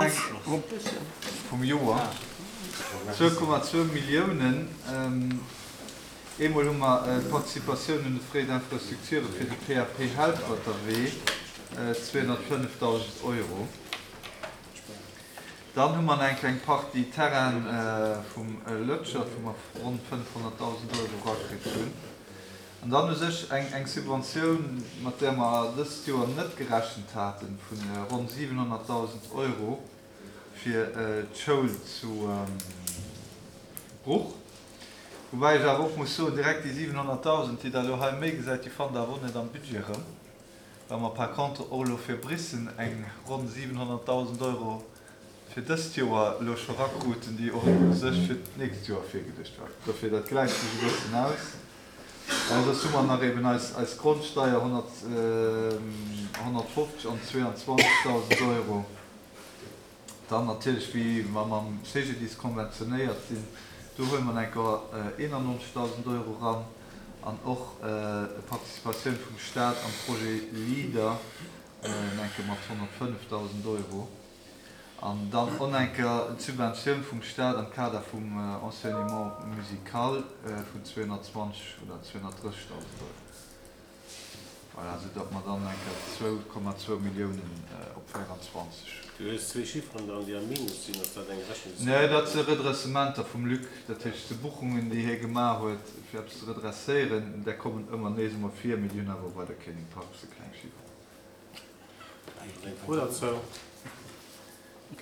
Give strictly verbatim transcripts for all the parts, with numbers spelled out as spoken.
Vum Joer, zwou Komma zwou Milliounen. Eemol hu mer d'Participatioun un de Frais d'infrastructure fir de P A P Helperterwee, zweehonnertfënnefdausend Euro. Dann hu mer nach eng kleng Partie Terraine vum Lötschert, wou mer ronn fënnefhonnertdausend Euro erakritt hunn. An dann u sech eng Subventioun, mat där mer dëst Joer net gerechent haten, vu ronn siwenhonnertdausend Euro fir d'Schoul zu Bruch. Woubäi ech awer och muss soen, direkt déi siwenhonnertdausend, déi Der elo hei méi gesäit, déi fannt Der awer och net am Budget erëm, well mer par contre och elo fir Biissen eng ronn siwenhonnertdausend Euro fir dëst Joer elo scho rakruten, déi och u sech fir d'nächst Joer virgeduecht war. Dofir, dat gläicht sech e bëssen aus. Soss hu mer nach eben eis eis Grondsteier, honnert honnertfofzeg an zweeanzwanzegdausend Euro. Dann natierlech, wéi mer mam C G D I S konventionéiert sinn, do huele mer eng Kéier eenannonzegdausend Euro ran an och Participatioun vum Staat am Projet LEADER eng Kéier mat honnertfënnefdausend Euro. An dann och eng Kéier d'Subventioun vum Staat am Kader vum Enseignement musical vun zweehonnertzwanzeg oder zweehonnertdrëssegdausend Euro. Voilà, sou datt mer dann eng Kéier zwou Komma zwou Milliounen op véieranzwanzeg. Du hues zwee Chifferen dran, déi am Minus sinn. Ass dat eng Rechnungs? Nee, dat si Redressementer vum Luc. Dat heescht, de Buchungen, déi hie gemaach huet, fir eppes ze redresséieren, där kommen ëmmer nees emol vir. Mee déi hunn awer weider keen Impakt, se kleng Chifferen. Ass eng Fro dozou?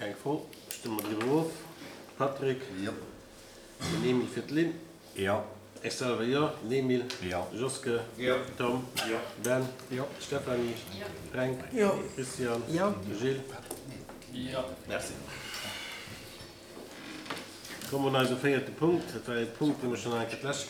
Keng Fro. Stëmme mer driwwer of. Patrick? Jo. Den Emil fir d'Lynn? Jo. Ech selwer jo. Den Emil? Jo. Joske? Jo. Tom? Jo. Ben? Jo. Stéphanie? Jo. Fränk? Jo. Christian? Jo. Gilles? Jo. Merci. Komme mer un eise véierte Punkt. Dat war e Punkt, dee mer schonn eng Kéier d'lescht